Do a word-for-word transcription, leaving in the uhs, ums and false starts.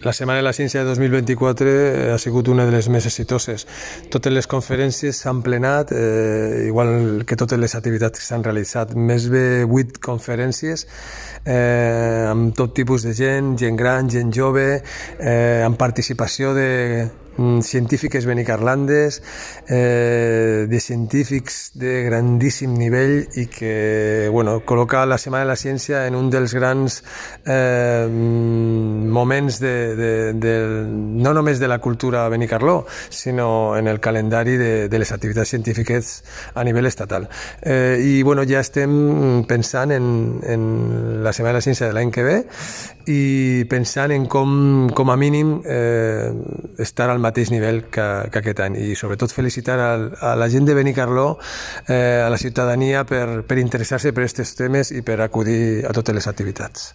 La Setmana de la Ciència de dos mil vint-i-quatre ha sigut una de les més exitoses. Totes les conferències s'han plenat, eh, igual que totes les activitats que s'han realitzat. Més de vuit conferències eh, amb tot tipus de gent, gent gran, gent jove, eh, amb participació de científiques benicarlandes, eh, de científics de grandíssim nivell i que bueno, col·loca la Setmana de la Ciència en un dels grans eh, moments de, de, de, no només de la cultura benicarló, sinó en el calendari de, de les activitats científiques a nivell estatal. Eh, I bueno, ja estem pensant en, en la Setmana de la Ciència de l'any que ve i pensant en com, com a mínim eh, estar al mateix nivell que, que aquest any, i sobretot felicitar a, a la gent de Benicarló, eh, a la ciutadania per, per interessar-se per aquests temes i per acudir a totes les activitats.